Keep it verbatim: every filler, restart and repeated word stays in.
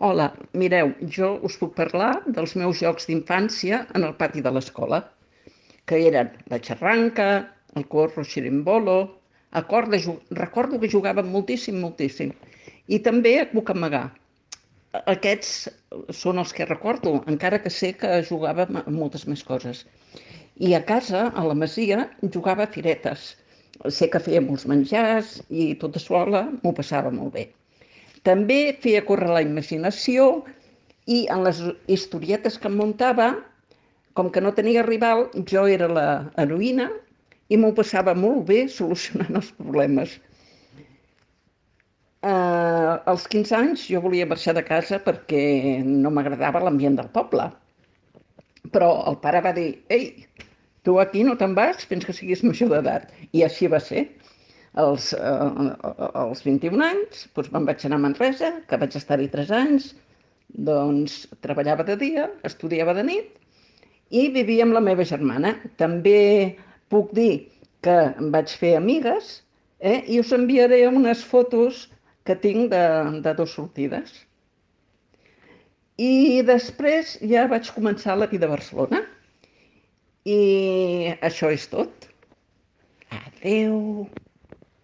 Hola, mireu, jo us puc parlar dels meus jocs d'infància en el pati de l'escola, que eren la xarranca, el corro xirimbolo, a corda, ju- recordo que jugàvem moltíssim, moltíssim, i també a cucamagar. Aquests són els que recordo, encara que sé que jugàvem a moltes més coses. I a casa, a la masia, jugava a firetes. Sé que feia molts menjars i tota sola m'ho passava molt bé. També feia córrer la imaginació i en les historietes que em muntava, com que no tenia rival, jo era la heroïna i m'ho passava molt bé solucionant els problemes. Eh, als quinze anys jo volia marxar de casa perquè no m'agradava l'ambient del poble, però el pare va dir: «Ei, tu aquí no te'n vas fins que siguis major d'edat». I així va ser. Als, eh, als vint-i-un anys doncs me'n vaig anar a Manresa, que vaig estar-hi tres anys, doncs treballava de dia, estudiava de nit i vivia amb la meva germana. També puc dir que em vaig fer amigues, eh, i us enviaré unes fotos que tinc de, de dues sortides. I després ja vaig començar la vida a Barcelona i això és tot. Adeu.